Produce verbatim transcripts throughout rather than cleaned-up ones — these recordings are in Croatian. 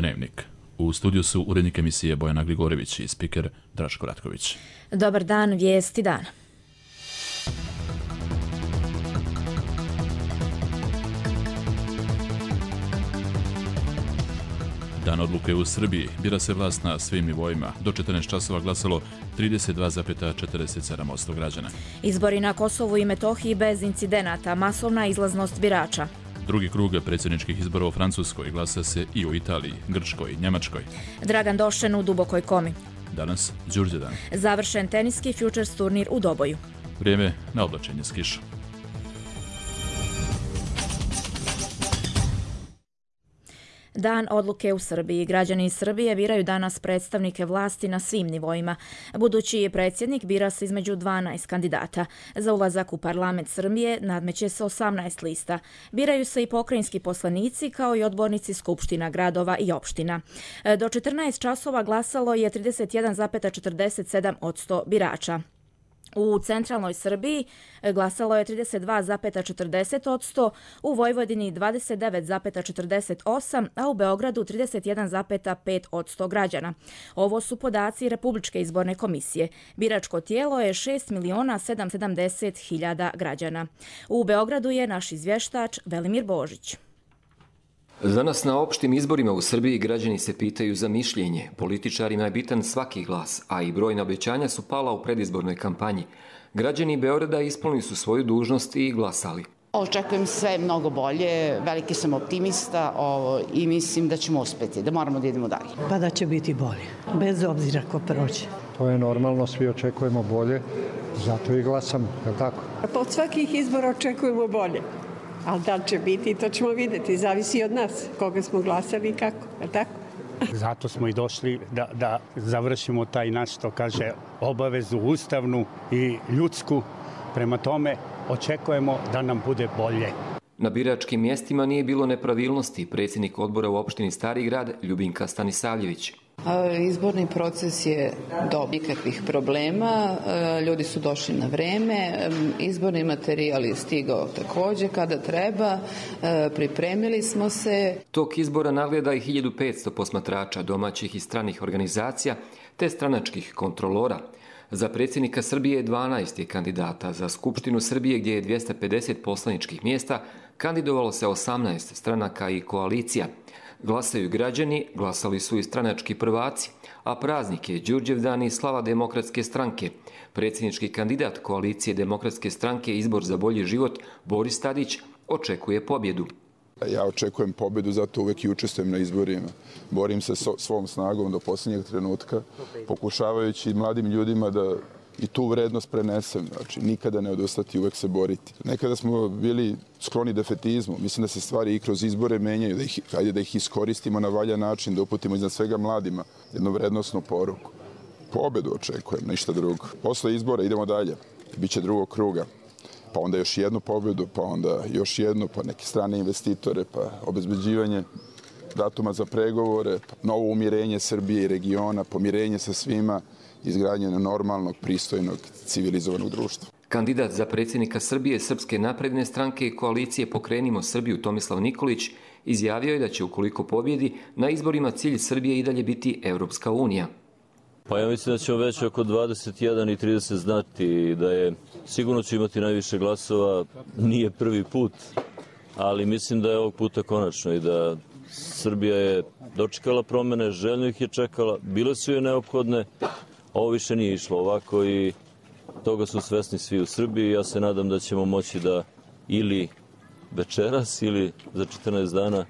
Dnevnik. U studiju su urednik emisije Bojana Grigorević i spiker Draško Ratković. Dobar dan, vijesti dana. Dan odluke u Srbiji. Bira se vlast na svim nivoima. Do četrnaest časova glasalo trideset dva zarez četrdeset sedam posto građana. Izbori na Kosovu i Metohiji bez incidenata, masovna izlaznost birača. Drugi krug predsjedničkih izbora u Francuskoj, glasa se i u Italiji, Grčkoj, Njemačkoj. Dragan Došen u Dubokoj Komi. Danas Đurđevdan. Završen teniski Futures turnir u Doboju. Vrijeme na oblačenje s kišom. Dan odluke u Srbiji. Građani iz Srbije biraju danas predstavnike vlasti na svim nivoima. Budući predsjednik bira se između dvanaest kandidata. Za ulazak u parlament Srbije nadmeće se osamnaest lista. Biraju se i pokrajinski poslanici kao i odbornici skupština gradova i opština. Do četrnaest časova glasalo je trideset jedan zarez četrdeset sedam posto birača. U centralnoj Srbiji glasalo je trideset dva zarez četrdeset posto, u Vojvodini dvadeset devet zarez četrdeset osam, a u Beogradu trideset jedan zarez pet posto građana. Ovo su podaci Republičke izborne komisije. Biračko tijelo je šest miliona sedamsto sedamdeset hiljada građana. U Beogradu je naš izvještač Velimir Božić. Danas na opštim izborima u Srbiji građani se pitaju za mišljenje. Političarima je bitan svaki glas, a i brojna obećanja su pala u predizbornoj kampanji. Građani Beograda ispunili su svoju dužnost i glasali. Očekujem sve mnogo bolje, veliki sam optimista ovo, i mislim da ćemo uspjeti, da moramo da idemo dalje. Pa da će biti bolje, bez obzira ko prođe. To je normalno, svi očekujemo bolje, zato i glasamo, je li tako? Pa od svakih izbora očekujemo bolje. Ali da li će biti, to ćemo vidjeti. Zavisi od nas, koga smo glasali i kako, je tako? Zato smo i došli da, da završimo taj naš, što kaže, obavezu ustavnu i ljudsku. Prema tome, očekujemo da nam bude bolje. Na biračkim mjestima nije bilo nepravilnosti. Predsjednik odbora u opštini Stari Grad, Ljubinka Stanisavljević. Izborni proces je dobar, nikakvih problema, ljudi su došli na vreme, izborni materijal je stigao također kada treba, pripremili smo se. Tok izbora nagleda i hiljadu petsto posmatrača domaćih i stranih organizacija te stranačkih kontrolora. Za predsjednika Srbije dvanaest je kandidata, za Skupštinu Srbije gdje je dvjesto pedeset poslaničkih mjesta kandidovalo se osamnaest stranaka i koalicija. Glasaju građani, glasali su i stranački prvaci, a praznik je Đurđevdan i slava Demokratske stranke. Predsjednički kandidat koalicije Demokratske stranke Izbor za bolji život, Boris Tadić, očekuje pobjedu. Ja očekujem pobjedu, zato uvek i učestvujem na izborima. Borim se svom snagom do posljednjeg trenutka, pokušavajući mladim ljudima da i tu vrednost prenesem, znači nikada ne odustati, uvek se boriti. Nekada smo bili skloni defetizmu, mislim da se stvari i kroz izbore menjaju, da ih, ajde da ih iskoristimo na valjan način, da uputimo iznad svega mladima jednu vrednostnu poruku. Pobedu očekujem, ništa drugo. Posle izbora idemo dalje, biće drugog kruga, pa onda još jednu pobedu, pa onda još jednu, pa neke strane investitore, pa obezbeđivanje datuma za pregovore, pa novo umirenje Srbije i regiona, pomirenje sa svima, izgradnje normalnog, pristojnog, civilizovanog društva. Kandidat za predsjednika Srbije Srpske napredne stranke i koalicije Pokrenimo Srbiju Tomislav Nikolić izjavio je da će, ukoliko pobjedi, na izborima cilj Srbije i dalje biti Evropska unija. Pa ja mislim da ćemo već oko dvadeset jedan i trideset znati da je, sigurno će imati najviše glasova, nije prvi put, ali mislim da je ovog puta konačno i da Srbija je dočekala promjene, željno ih je čekala, bile su joj neophodne, ovo više nije išlo ovako i toga su svesni svi u Srbiji. Ja se nadam da ćemo moći da ili večeras ili za četrnaest dana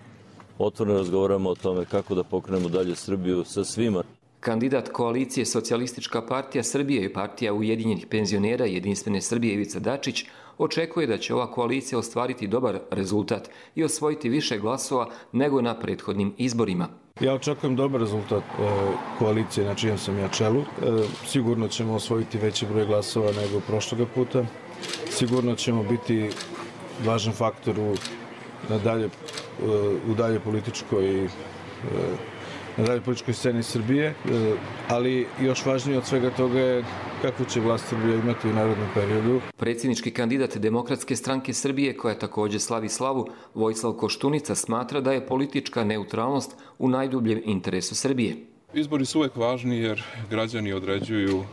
otvoreno razgovaramo o tome kako da pokrenemo dalje Srbiju sa svima. Kandidat koalicije Socijalistička partija Srbije i partija Ujedinjenih penzionera Jedinstvene Srbije Ivica Dačić očekuje da će ova koalicija ostvariti dobar rezultat i osvojiti više glasova nego na prethodnim izborima. Ja očekujem dobar rezultat koalicije na čijem sam ja čelu. Sigurno ćemo osvojiti veći broj glasova nego prošloga puta. Sigurno ćemo biti važan faktor u, na dalje, u dalje političkoj na dalje političkoj sceni Srbije, ali još važnije od svega toga je kakvu će vlast Srbije imati u narednom periodu. Predsjednički kandidat Demokratske stranke Srbije, koja također slavi slavu, Vojislav Koštunica, smatra da je politička neutralnost u najdubljem interesu Srbije. Izbori su uvek važni jer građani određuju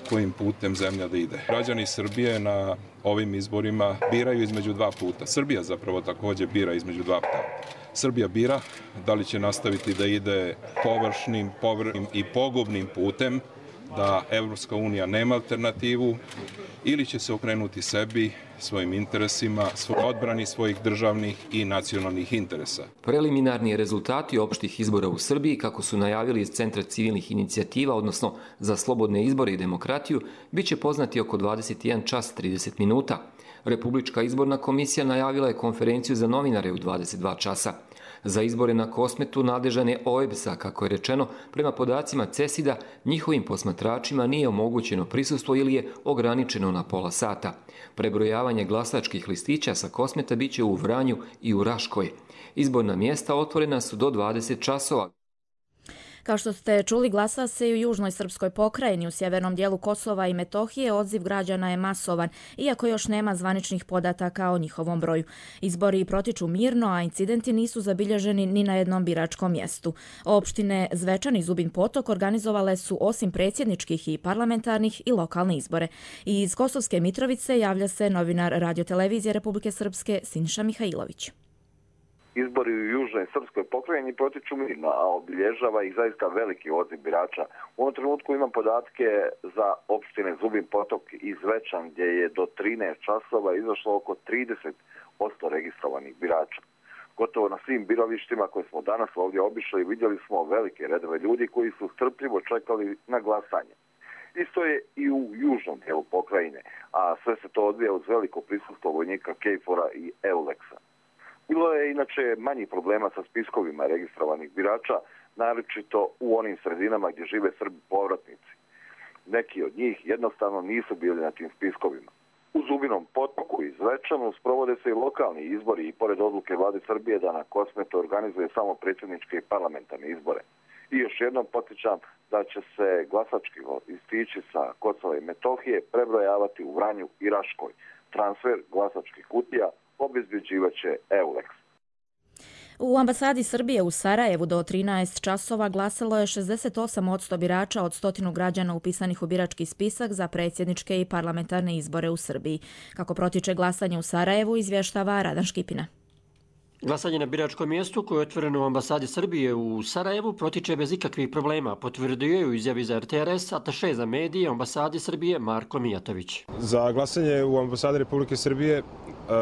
kojim putem zemlja da ide. Građani Srbije na ovim izborima biraju između dva puta. Srbija zapravo također bira između dva puta. Srbija bira da li će nastaviti da ide površnim, površnim i pogubnim putem, da Evropska unija nema alternativu, ili će se okrenuti sebi, svojim interesima, odbrani svojih državnih i nacionalnih interesa. Preliminarni rezultati opštih izbora u Srbiji, kako su najavili iz Centra civilnih inicijativa, odnosno za slobodne izbore i demokratiju, bit će poznati oko dvadeset jedan čas trideset minuta. Republička izborna komisija najavila je konferenciju za novinare u dvadeset dva časa. Za izbore na Kosmetu nadležan je O E B S A, kako je rečeno, prema podacima CESID-a, njihovim posmatračima nije omogućeno prisustvo ili je ograničeno na pola sata. Prebrojavanje glasačkih listića sa Kosmeta bit će u Vranju i u Raškoj. Izborna mjesta otvorena su do dvadeset časova. Kao što ste čuli, glasa se i u južnoj srpskoj pokrajini. U sjevernom dijelu Kosova i Metohije odziv građana je masovan, iako još nema zvaničnih podataka o njihovom broju. Izbori protiču mirno, a incidenti nisu zabilježeni ni na jednom biračkom mjestu. Opštine Zvečan i Zubin Potok organizovale su osim predsjedničkih i parlamentarnih i lokalne izbore. I iz Kosovske Mitrovice javlja se novinar radiotelevizije Republike Srpske Sinša Mihajlović. Izbori u južnoj srpskoj pokrajini protiču mirno, a obilježava ih zaista veliki odziv birača. U ovom trenutku imam podatke za opštine Zubin Potok i Zvečan, gdje je do trinaest časova izašlo oko trideset posto registrovanih birača. Gotovo na svim birovištima koje smo danas ovdje obišli vidjeli smo velike redove ljudi koji su strpljivo čekali na glasanje. Isto je i u južnom dijelu pokrajine, a sve se to odvija uz veliko prisustvo vojnika KFOR-a i EULEX-a. Bilo je inače manjih problema sa spiskovima registrovanih birača, naročito u onim sredinama gdje žive Srbi povratnici. Neki od njih jednostavno nisu bili na tim spiskovima. U Zubinom Potoku i Zvečanu sprovode se i lokalni izbori i pored odluke vlade Srbije da na Kosmetu organizuje samo predsjedničke i parlamentarne izbore. I još jednom podsjećam da će se glasački listići sa Kosova i Metohije prebrojavati u Vranju i Raškoj. Transfer glasačkih kutija obezbeđivat će EULEX. U ambasadi Srbije u Sarajevu do trinaest časova glasalo je šezdeset osam posto birača od stotinu građana upisanih u birački spisak za predsjedničke i parlamentarne izbore u Srbiji. Kako protiče glasanje u Sarajevu, izvještava Radan Škipina. Glasanje na biračkom mjestu koje je otvoreno u ambasadi Srbije u Sarajevu protiče bez ikakvih problema, potvrdio je u izjavi za R T R S ataše za medije u ambasadi Srbije Marko Mijatović. Za glasanje u ambasadi Republike Srbije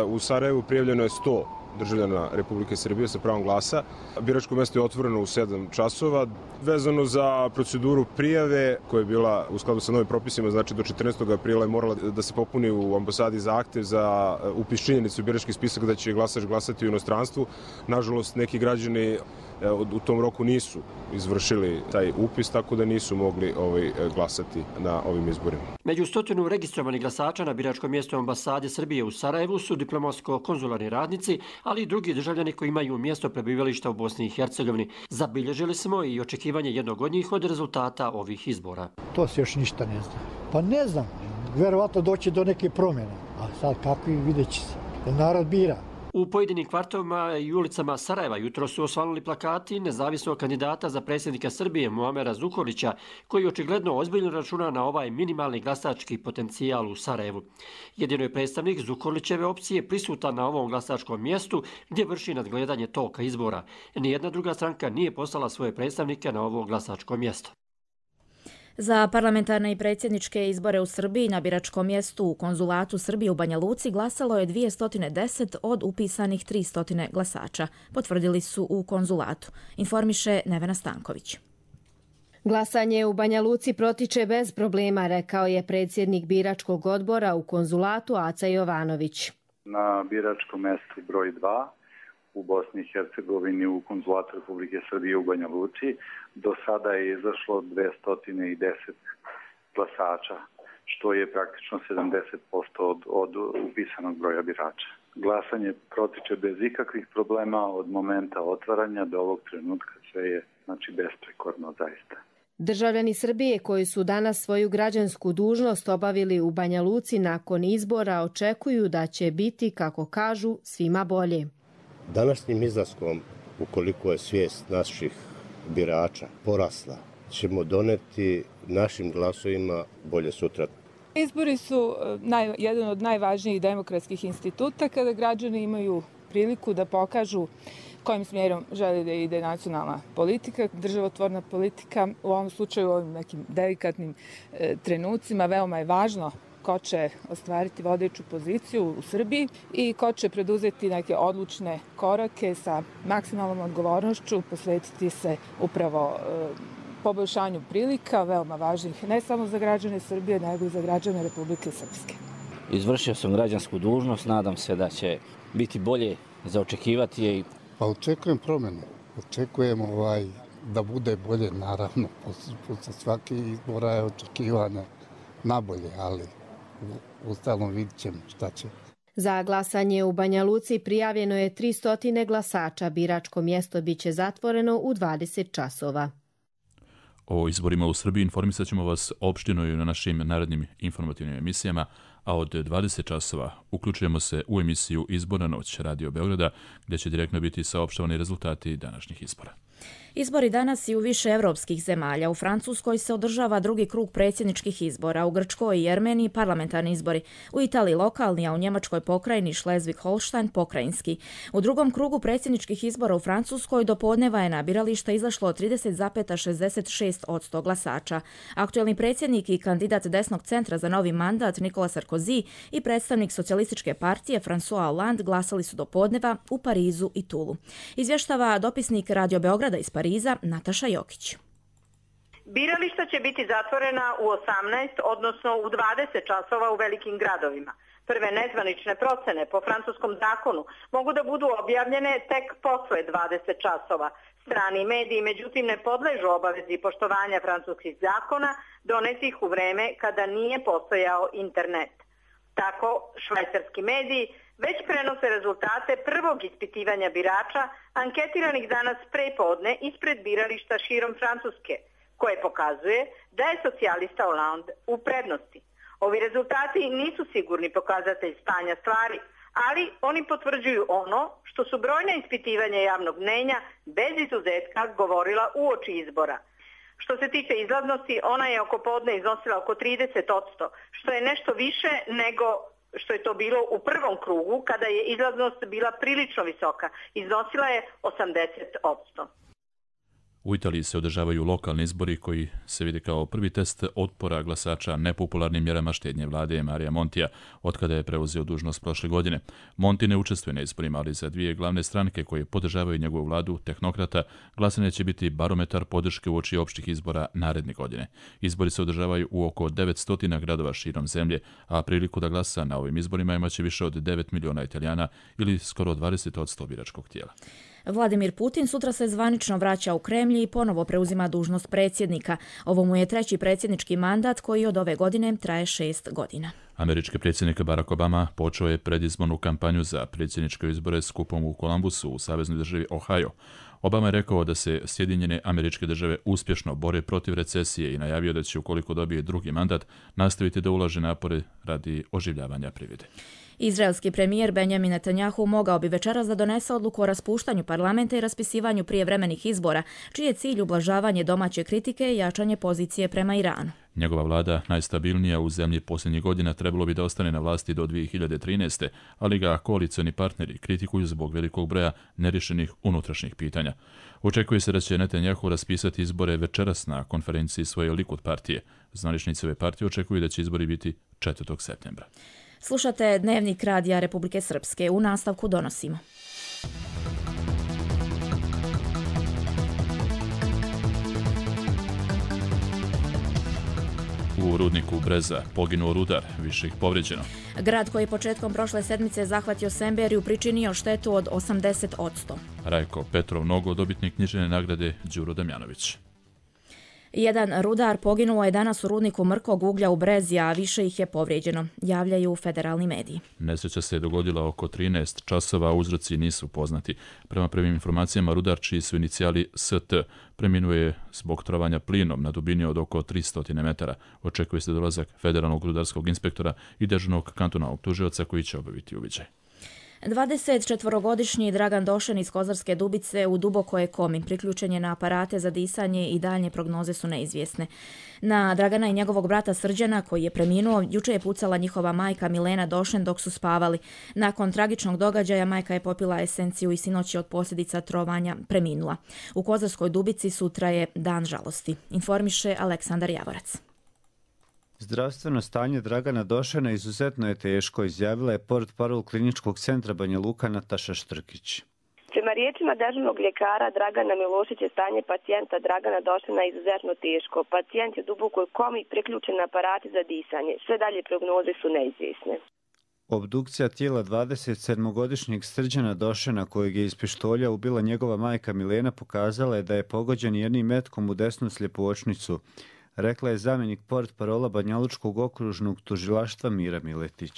u Sarajevu prijavljeno je sto državljana Republike Srbije sa pravom glasa. Biračko mjesto je otvoreno u sedam časova. Vezano za proceduru prijave koja je bila u skladu sa novim propisima, znači do četrnaestog aprila je morala da se popuni u ambasadi zahtev za upis činjenice u birački spisak da će glasač glasati u inostranstvu. Nažalost, neki građani u tom roku nisu izvršili taj upis, tako da nisu mogli ovaj, glasati na ovim izborima. Među stotinu registrovanih glasača na biračkom mjestu ambasade Srbije u Sarajevu su diplomatsko-konzularni radnici, ali i drugi državljani koji imaju mjesto prebivališta u Bosni i Hercegovini. Zabilježili smo i očekivanje jednog od njih od rezultata ovih izbora. To se još ništa ne zna. Pa ne znam, verovatno doći do neke promjene, a sad kakvi vidjet će se, jer narod bira. U pojedinim kvartovima i ulicama Sarajeva jutro su osvanuli plakati nezavisnog kandidata za predsjednika Srbije Muamera Zukorlića, koji očigledno ozbiljno računa na ovaj minimalni glasački potencijal u Sarajevu. Jedino je predstavnik Zukorlićeve opcije prisutan na ovom glasačkom mjestu gdje vrši nadgledanje toka izbora. Nijedna druga stranka nije poslala svoje predstavnike na ovo glasačko mjesto. Za parlamentarne i predsjedničke izbore u Srbiji na biračkom mjestu u konzulatu Srbije u Banja Luci glasalo je dvjesto deset od upisanih tristo glasača, potvrdili su u konzulatu, informiše Nevena Stanković. Glasanje u Banja Luci protiče bez problema, rekao je predsjednik biračkog odbora u konzulatu Aca Jovanović. Na biračkom mjestu broj dva u Bosni i Hercegovini u konzulatu Republike Srbije u Banja Luci do sada je izašlo dvjesto deset glasača, što je praktično sedamdeset posto od, od upisanog broja birača. Glasanje protiče bez ikakvih problema od momenta otvaranja do ovog trenutka, sve je znači znači besprekorno zaista. Državljani Srbije koji su danas svoju građansku dužnost obavili u Banja Luci nakon izbora očekuju da će biti, kako kažu, svima bolje. Današnjim izlaskom, ukoliko je svijest naših birača porasla, ćemo doneti našim glasovima bolje sutra. Izbori su naj, jedan od najvažnijih demokratskih instituta kada građani imaju priliku da pokažu kojim smjerom želi da ide nacionalna politika, državotvorna politika. U ovom slučaju, u ovim nekim delikatnim e, trenucima, veoma je važno ko će ostvariti vodeću poziciju u Srbiji i ko će preduzeti neke odlučne korake sa maksimalnom odgovornošću, posvetiti se upravo e, poboljšanju prilika, veoma važnih ne samo za građane Srbije, nego i za građane Republike Srpske. Izvršio sam građansku dužnost, nadam se da će biti bolje za očekivati je. Pa očekujem promjenu, očekujem ovaj, da bude bolje, naravno, posle svake izbora je očekivanja nabolje, ali ustalno vidit ćemo šta će. Za glasanje u Banja Luci prijavljeno je tristo glasača, biračko mjesto biće zatvoreno u dvadeset časova. O izborima u Srbiji informisat ćemo vas opštino i na našim narednim informativnim emisijama, a od dvadeset časova uključujemo se u emisiju Izborna noć Radio Beograda, gdje će direktno biti saopštavani rezultati današnjih izbora. Izbori danas i u više evropskih zemalja. U Francuskoj se održava drugi krug predsjedničkih izbora, u Grčkoj i Armeniji parlamentarni izbori, u Italiji lokalni, a u Njemačkoj pokrajini Šlezvig-Holštajn pokrajinski. U drugom krugu predsjedničkih izbora u Francuskoj do podneva je na birališta izašlo trideset zarez šezdeset šest posto glasača. Aktuelni predsjednik i kandidat desnog centra za novi mandat Nikola Sarkozy i predstavnik socijalističke partije François Hollande glasali su do podneva u Parizu i Tulu. Izvještava dopisnik Radio Beograda iz Pariza Nataša Jokić. Birališta će biti zatvorena u osamnaest, odnosno u dvadeset časova u velikim gradovima. Prve nezvanične procene po francuskom zakonu mogu da budu objavljene tek posle dvadeset časova. Strani mediji, međutim, ne podležu obavezi poštovanja francuskih zakona donetih u vreme kada nije postojao internet. Tako, švajcarski mediji već prenose rezultate prvog ispitivanja birača anketiranih danas prepodne ispred birališta širom Francuske, koje pokazuje da je socijalista Hollande u prednosti. Ovi rezultati nisu sigurni pokazatelj stanja stvari, ali oni potvrđuju ono što su brojna ispitivanja javnog mnenja bez izuzetka govorila uoči izbora. Što se tiče izlaznosti, ona je oko podne iznosila oko trideset posto, što je nešto više nego što je to bilo u prvom krugu, kada je izlaznost bila prilično visoka. Iznosila je osamdeset posto. U Italiji se održavaju lokalni izbori koji se vidi kao prvi test otpora glasača nepopularnim mjerama štednje vlade Marija Montija, otkada je preuzeo dužnost prošle godine. Monti ne učestvuje na izborima, ali za dvije glavne stranke koje podržavaju njegovu vladu, tehnokrata, glasanje će biti barometar podrške uoči opštih izbora naredne godine. Izbori se održavaju u oko devetsto gradova širom zemlje, a priliku da glasa na ovim izborima imaće više od devet miliona Italijana ili skoro dvadeset posto biračkog tijela. Vladimir Putin sutra se zvanično vraća u Kremlj i ponovo preuzima dužnost predsjednika. Ovo mu je treći predsjednički mandat koji od ove godine traje šest godina. Američki predsjednik Barack Obama počeo je predizbornu kampanju za predsjedničke izbore skupom u Columbusu u saveznoj državi Ohio. Obama je rekao da se Sjedinjene Američke Države uspješno bore protiv recesije i najavio da će, ukoliko dobije drugi mandat, nastaviti da ulaže napore radi oživljavanja privrede. Izraelski premijer Benjamin Netanjahu mogao bi večeras da donese odluku o raspuštanju parlamenta i raspisivanju prijevremenih izbora, čiji je cilj ublažavanje domaće kritike i jačanje pozicije prema Iranu. Njegova vlada, najstabilnija u zemlji posljednjih godina, trebalo bi da ostane na vlasti do dvije hiljade trinaeste. ali ga koalicioni partneri kritikuju zbog velikog broja nerješenih unutrašnjih pitanja. Očekuje se da će Netanjahu raspisati izbore večeras na konferenciji svoje Likud partije. Zvaničnici ove partije očekuju da će izbori biti četvrtog septembra. Slušate Dnevnik Radija Republike Srpske. U nastavku donosimo. U rudniku Breza poginuo rudar, više ih povrijeđeno. Grad koji je početkom prošle sedmice zahvatio Semberiju pričinio štetu od osamdeset posto. Rajko Petrov Nogo, dobitnik književne nagrade Đuro Damjanović. Jedan rudar poginuo je danas u rudniku mrkog uglja u Brezi, a više ih je povrijeđeno, javljaju federalni mediji. Nesreća se dogodila oko trinaest časova, a uzroci nisu poznati. Prema prvim informacijama, rudar čiji su inicijali S T preminuo je zbog trovanja plinom na dubini od oko tristo metara. Očekuje se dolazak federalnog rudarskog inspektora i dežurnog kantonalnog tužioca koji će obaviti uviđaj. dvadesetčetvorogodišnji Dragan Došen iz Kozarske Dubice u dubokoj je komi, priključen je na aparate za disanje i daljnje prognoze su neizvjesne. Na Dragana i njegovog brata Srđana, koji je preminuo, juče je pucala njihova majka Milena Došen dok su spavali. Nakon tragičnog događaja majka je popila esenciju i sinoć je od posljedica trovanja preminula. U Kozarskoj Dubici sutra je dan žalosti, informiše Aleksandar Javorac. Zdravstveno stanje Dragana Došena izuzetno je teško, izjavila je portparol kliničkog centra Banja Luka Nataša Štrkić. Prema riječima dežurnog ljekara Dragana Milošića, stanje pacijenta Dragana Došena je izuzetno teško. Pacijent je u dubokoj komi, priključen na aparate za disanje. Sve dalje prognoze su neizvjesne. Obdukcija tijela dvadesetsedmogodišnjeg Srđana Došena, kojeg je iz pištolja ubila njegova majka Milena, pokazala je da je pogođen jednim metkom u desnu sljepočnicu, rekla je zamjenik portparola Banjalučkog okružnog tužilaštva Mira Miletić.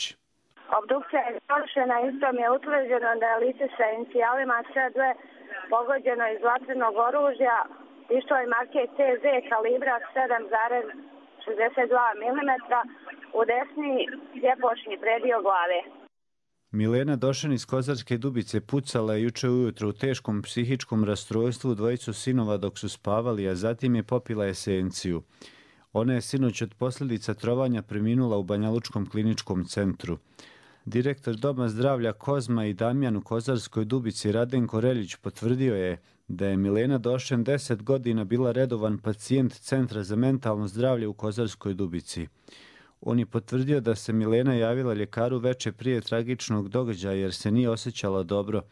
Obdukcija je završena, istom je utvrđeno da je lice sa inicijalima sve dve pogođeno iz vatrenog oružja, pištolj marke C Z kalibra sedam zarez šezdeset dva milimetra u desni sljepočni predio glave. Milena Došen iz Kozarske Dubice pucala je juče ujutro u teškom psihičkom rastrojstvu dvojicu sinova dok su spavali, a zatim je popila esenciju. Ona je sinoć od posljedica trovanja preminula u Banjalučkom kliničkom centru. Direktor Doma zdravlja Kozma i Damjan u Kozarskoj Dubici Radenko Reljić potvrdio je da je Milena Došen deset godina bila redovan pacijent Centra za mentalno zdravlje u Kozarskoj Dubici. On je potvrdio da se Milena javila ljekaru veče prije tragičnog događaja jer se nije osjećala dobro,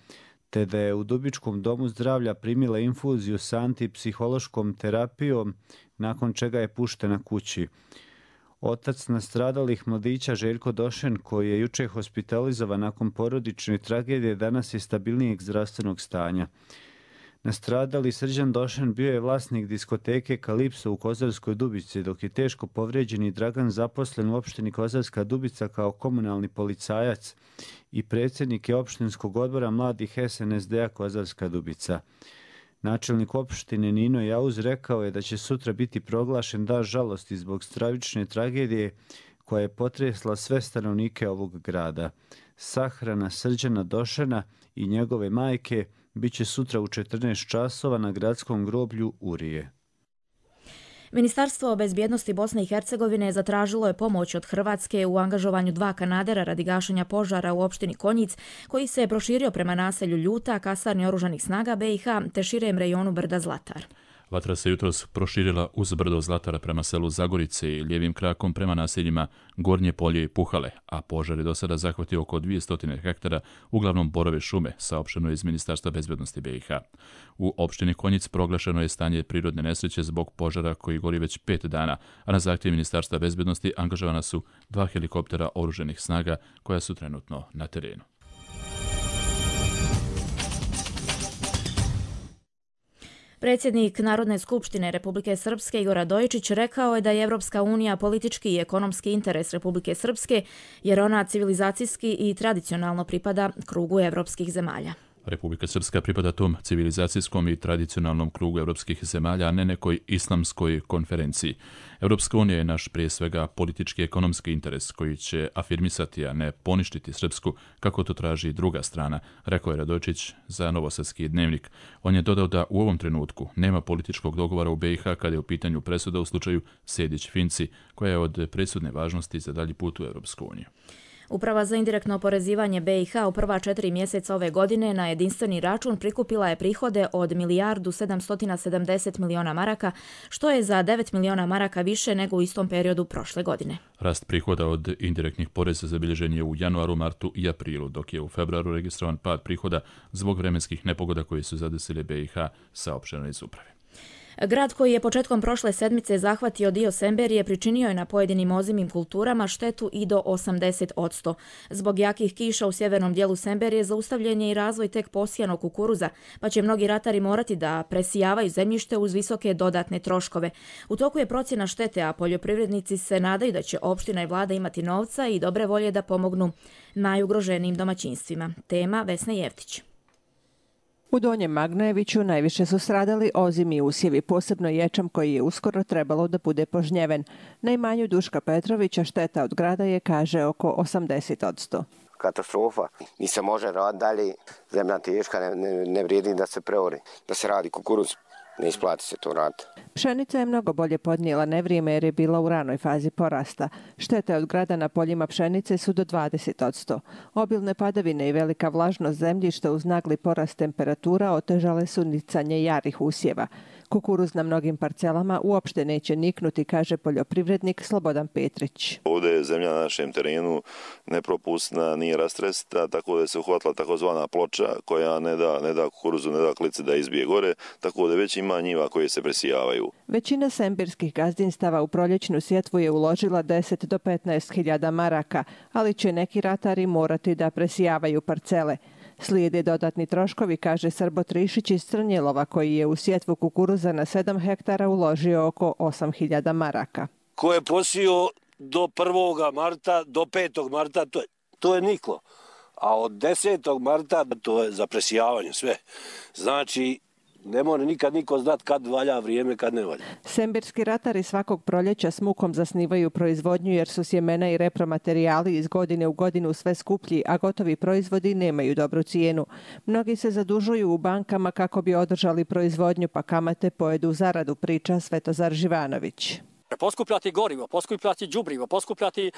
te da je u Dubičkom domu zdravlja primila infuziju sa antipsihološkom terapijom, nakon čega je puštena kući. Otac nastradalih mladića Željko Došen, koji je juče hospitalizovan nakon porodične tragedije, danas je stabilnijeg zdravstvenog stanja. Nastradali Srđan Došen bio je vlasnik diskoteke Kalipso u Kozarskoj Dubici, dok je teško povrijeđeni Dragan zaposlen u opštini Kozarska Dubica kao komunalni policajac i predsjednik je opštinskog odbora mladih S N S D-a Kozarska Dubica. Načelnik opštine Nino Jauz rekao je da će sutra biti proglašen dan žalosti zbog stravične tragedije koja je potresla sve stanovnike ovog grada. Sahrana Srđana Došena i njegove majke biće sutra u četrnaest časova na gradskom groblju Urije. Ministarstvo bezbjednosti Bosne i Hercegovine zatražilo je pomoć od Hrvatske u angažovanju dva kanadera radi gašenja požara u opštini Konjic, koji se je proširio prema naselju Ljuta, kasarni oružanih snaga B i H, te širem rejonu brda Zlatar. Vatra se jutros proširila uz brdo Zlatara prema selu Zagorice i lijevim krakom prema naseljima Gornje Polje i Puhale, a požar je do sada zahvatio oko dvjesto hektara, uglavnom borove šume, saopšteno je iz Ministarstva bezbednosti B i H. U opštini Konjic proglašeno je stanje prirodne nesreće zbog požara koji gori već pet dana, a na zahtjev Ministarstva bezbednosti angažovana su dva helikoptera oruženih snaga koja su trenutno na terenu. Predsjednik Narodne skupštine Republike Srpske Igor Radojičić rekao je da je Evropska unija politički i ekonomski interes Republike Srpske, jer ona civilizacijski i tradicionalno pripada krugu evropskih zemalja. Republika Srpska pripada tom civilizacijskom i tradicionalnom krugu evropskih zemalja, a ne nekoj islamskoj konferenciji. Evropska unija je naš prije svega politički i ekonomski interes koji će afirmisati, a ne poništiti Srpsku, kako to traži druga strana, rekao je Radojičić za Novosadski dnevnik. On je dodao da u ovom trenutku nema političkog dogovora u B i H kada je u pitanju presuda u slučaju Sejdić-Finci, koja je od presudne važnosti za dalji put u Evropsku uniju. Uprava za indirektno oporezivanje B i H u prva četiri mjeseca ove godine na jedinstveni račun prikupila je prihode od milijardu sedamsto sedamdeset miliona maraka, što je za devet miliona maraka više nego u istom periodu prošle godine. Rast prihoda od indirektnih poreza zabilježen je u januaru, martu i aprilu, dok je u februaru registrovan pad prihoda zbog vremenskih nepogoda koje su zadesile B i H, saopšteno iz uprave. Grad koji je početkom prošle sedmice zahvatio dio Semberije pričinio je na pojedinim ozimim kulturama štetu i do osamdeset posto. Zbog jakih kiša u sjevernom dijelu Semberije zaustavljen je i razvoj tek posijanog kukuruza, pa će mnogi ratari morati da presijavaju zemljište uz visoke dodatne troškove. U toku je procjena štete, a poljoprivrednici se nadaju da će opština i vlada imati novca i dobre volje da pomognu najugroženijim domaćinstvima. Tema Vesna Jevtić. U Donjem Magnojeviću najviše su stradali ozimi usjevi, posebno ječam koji je uskoro trebalo da bude požnjeven. Na imanju Duška Petrovića šteta od grada je, kaže, oko osamdeset posto. Katastrofa. Ni se može raditi dalje, zemlja teška, ne, ne, ne vrijedi da se preori, da se radi kukuruz. Ne isplati se to raditi. Pšenica je mnogo bolje podnijela nevrijeme jer je bila u ranoj fazi porasta. Štete od grada na poljima pšenice su do dvadeset posto. Obilne padavine i velika vlažnost zemljišta uz nagli porast temperatura otežale su nicanje jarih usjeva. Kukuruz na mnogim parcelama uopšte neće niknuti, kaže poljoprivrednik Slobodan Petrić. Ovdje je zemlja na našem terenu nepropusna, nije rastresta, tako da se uhvatila takozvana ploča koja ne da, ne da kukuruzu, ne da klici da izbije gore, tako da već ima njiva koje se presijavaju. Većina sembirskih gazdinstava u proljećnu sjetvu je uložila deset do petnaest hiljada maraka, ali će neki ratari morati da presijavaju parcele. Slijede dodatni troškovi, kaže Srbo Trišić iz Crnjelova, koji je u sjetvu kukuruza na sedam hektara uložio oko osam hiljada maraka. Ko je posio do prvog marta, do petog marta, to je, to je niklo. A od desetog marta to je za presijavanje sve. Znači, ne mora nikad niko znat kad valja vrijeme, kad ne valja. Sembirski ratari svakog proljeća s mukom zasnivaju proizvodnju jer su sjemena i repromaterijali iz godine u godinu sve skuplji, a gotovi proizvodi nemaju dobru cijenu. Mnogi se zadužuju u bankama kako bi održali proizvodnju, pa kamate pojedu zaradu, priča Svetozar Živanović. Poskupljati gorivo, poskupljati đubrivo, poskupljati e,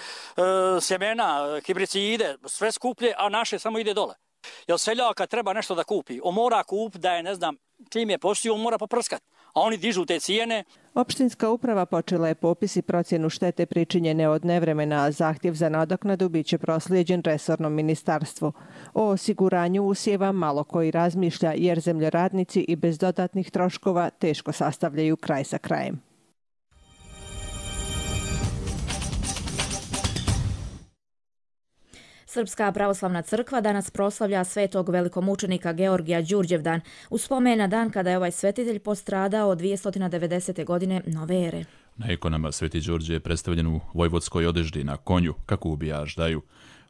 sjemena, hibricide, sve skuplje, a naše samo ide dole. Jer seljak kad treba nešto da kupi, on mora kup da je, ne znam, čim je posio, on mora poprskat, a oni dižu te cijene. Opštinska uprava počela je popis i procjenu štete pričinjene od nevremena, a zahtjev za nadoknadu biće proslijeđen resornom ministarstvu. O osiguranju usjeva malo koji razmišlja jer zemljoradnici i bez dodatnih troškova teško sastavljaju kraj sa krajem. Srpska pravoslavna crkva danas proslavlja svetog velikomučenika Georgija Đurđevdan, u spomen na dan kada je ovaj svetitelj postradao od dvjesto devedesete. godine nove ere. Na ikonama Sveti Đurđe je predstavljen u vojvodskoj odeždi na konju, kako ubijaš daju.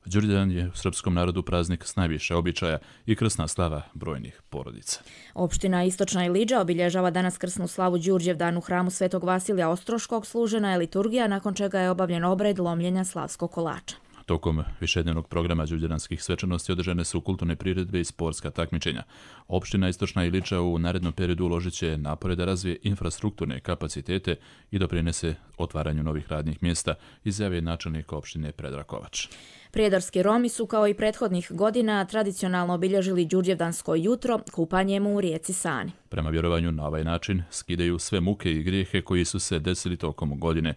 Đurđevdan je u srpskom narodu praznik s najviše običaja i krsna slava brojnih porodica. Opština Istočna Ilidža obilježava danas krsnu slavu Đurđevdan u hramu Svetog Vasilija Ostroškog. Služena je liturgija, nakon čega je obavljen obred lomljenja slavskog kolača. Tokom višednevnog programa đurđevdanskih svečanosti održane su kulturne priredbe i sportska takmičenja. Opština Istočna Ilidža u narednom periodu uložit će napore da razvije infrastrukturne kapacitete i doprinese otvaranju novih radnih mjesta, izjavio načelnik opštine Predrag Kovač. Prijedorski Romi su kao i prethodnih godina tradicionalno obilježili Đurđevdansko jutro kupanjem u rijeci Sani. Prema vjerovanju na ovaj način skidaju sve muke i grijehe koji su se desili tokom godine.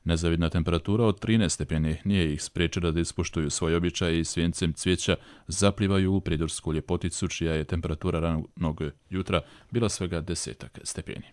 Nezavidna temperatura od trinaest stepeni nije ih spriječila da ispoštuju svoj običaj i svijencem cvijeća zaplivaju u prijedorsku ljepoticu, čija je temperatura ranog jutra bila svega desetak stepeni.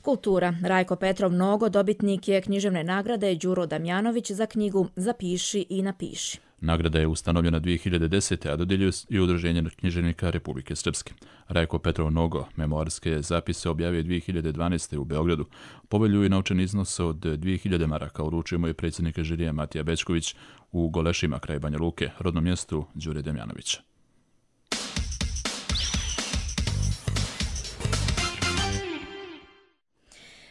Kultura. Rajko Petrov Nogo dobitnik je književne nagrade Đuro Damjanović za knjigu Zapiši i napiši. Nagrada je ustanovljena dvije hiljade desete. a dodjeljuje i Udruženje književnika Republike Srpske. Rajko Petrov Nogo memoarske zapise objavio dvije hiljade dvanaeste. u Beogradu. Povelju i novčani iznos od dvije hiljade maraka uručio mu je predsjednik žirija Matija Bećković u Golešima kraj Banja Luke, rodnom mjestu Đure Damjanovića.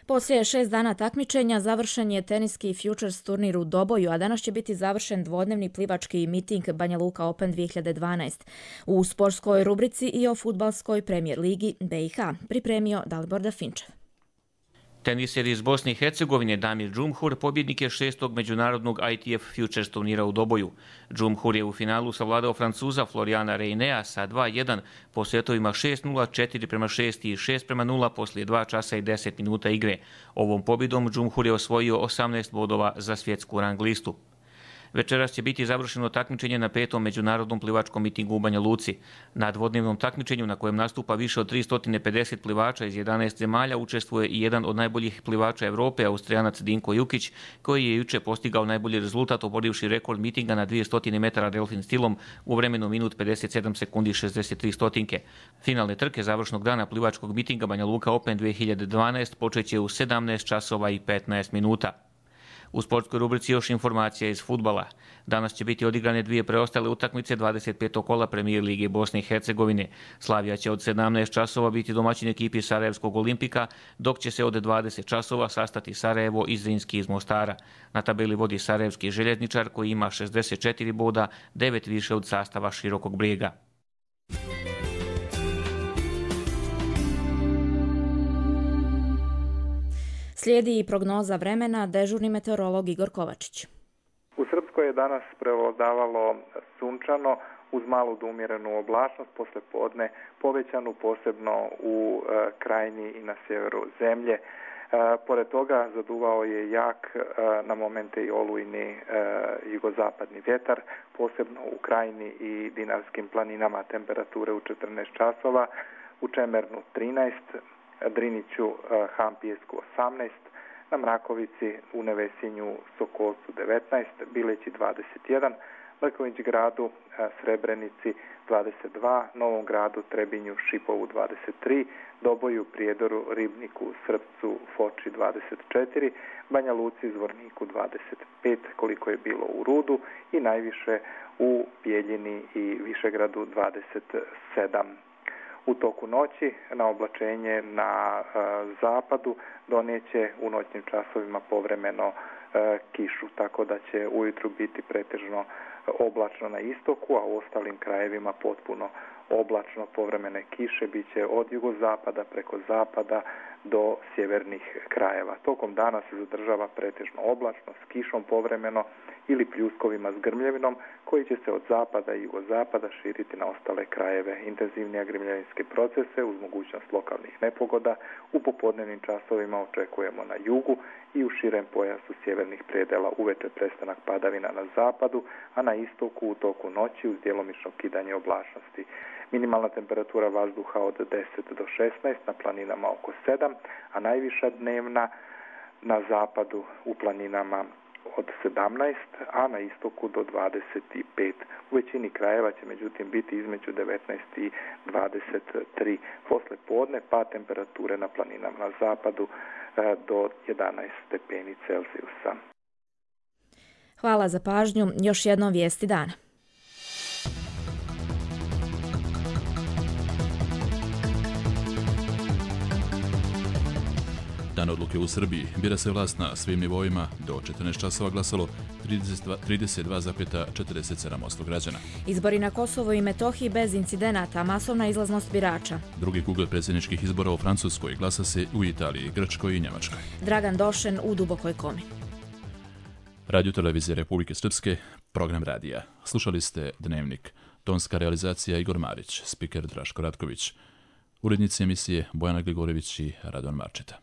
Poslije šest dana takmičenja završen je teniski Futures turnir u Doboju, a danas će biti završen dvodnevni plivački miting Banja Luka Open dvije hiljade dvanaeste. U sportskoj rubrici i o fudbalskoj premijer ligi B i H pripremio Dalibor Dafinčev. Teniser iz Bosne i Hercegovine Damir Džumhur pobjednik je šestog međunarodnog I T F Futures turnira u Doboju. Džumhur je u finalu savladao Francuza Floriana Reinea sa dva jedan po setovima šest nula, četiri prema šest i šest prema nula poslije dva časa i deset minuta igre. Ovom pobjedom Džumhur je osvojio osamnaest bodova za svjetsku rang listu. Večeras će biti završeno takmičenje na petom međunarodnom plivačkom mitingu u Banja Luci. Na dvodnevnom takmičenju na kojem nastupa više od tristo pedeset plivača iz jedanaest zemalja učestvuje i jedan od najboljih plivača Evrope, Austrijanac Dinko Jukić, koji je juče postigao najbolji rezultat oborivši rekord mitinga na dvjesto metara delfin stilom u vremenu minut pedeset sedam sekundi šezdeset tri stotinke. Finalne trke završnog dana plivačkog mitinga Banja Luka Open dvije hiljade dvanaest počeće u sedamnaest časova i petnaest minuta. U sportskoj rubrici još informacija iz fudbala. Danas će biti odigrane dvije preostale utakmice dvadeset petog kola Premijer Lige Bosne i Hercegovine. Slavija će od sedamnaest časova biti domaćin ekipi Sarajevskog Olimpika, dok će se od dvadeset časova sastati Sarajevo i Zrinski iz Mostara. Na tabeli vodi Sarajevski željezničar koji ima šezdeset četiri boda, devet više od sastava Širokog Brijega. Slijedi i prognoza vremena, dežurni meteorolog Igor Kovačić. U Srpskoj je danas prevladavalo sunčano uz malu do umjerenu oblačnost, posle podne povećanu posebno u e, krajini i na sjeveru zemlje. E, pored toga zaduvao je jak e, na momente i olujni e, jugozapadni vjetar, posebno u krajini i Dinarskim planinama temperature u četrnaest časova, u Čemernu trinaest, Driniću, Han Pijesku osamnaest, na Mrakovici, u Nevesinju, Sokolcu devetnaest, Bileći dvadeset jedan, Leković gradu, Srebrenici dvadeset dva, Novom gradu, Trebinju, Šipovu dvadeset tri, Doboju, Prijedoru, Ribniku, Srpcu, Foči dvadeset četiri, Banja Luci, Zvorniku dvadeset pet, koliko je bilo u Rudu i najviše u Bijeljini i Višegradu dvadeset sedam. U toku noći na oblačenje na e, zapadu donijeće u noćnim časovima povremeno e, kišu, tako da će ujutru biti pretežno oblačno na istoku, a u ostalim krajevima potpuno oblačno, povremene kiše bit će od jugozapada preko zapada do sjevernih krajeva. Tokom dana se zadržava pretežno oblačno s kišom povremeno ili pljuskovima s grmljevinom koji će se od zapada i jugozapada širiti na ostale krajeve. Intenzivnije grmljevinske procese uz mogućnost lokalnih nepogoda u popodnevnim časovima očekujemo na jugu i u širem pojasu sjevernih predela. Uveče prestanak padavina na zapadu, a na istoku u toku noći uz djelomično kidanje oblačnosti. Minimalna temperatura vazduha od deset do šesnaest, na planinama oko sedam, a najviša dnevna na zapadu u planinama od sedamnaest, a na istoku do dvadeset pet. U većini krajeva će međutim biti između devetnaest i dvadeset tri. Posle podne pa temperature na planinama na zapadu do jedanaest stepeni Celzijusa. Hvala za pažnju. Još jednom vijesti dana. Dan odluke u Srbiji. Bira se vlast na svim nivoima. Do četrnaest časova glasalo trideset dva zarez četrdeset sedam posto građana. Izbori na Kosovo i Metohiji bez incidenata, masovna izlaznost birača. Drugi krug predsjedničkih izbora u Francuskoj, glasa se u Italiji, Grčkoj i Njemačkoj. Dragan Došen u dubokoj komi. Radio Televizije Republike Srpske, program radija. Slušali ste Dnevnik. Tonska realizacija Igor Marić, spiker Draško Ratković. Urednici emisije Bojana Gligorević i Radovan Marčeta.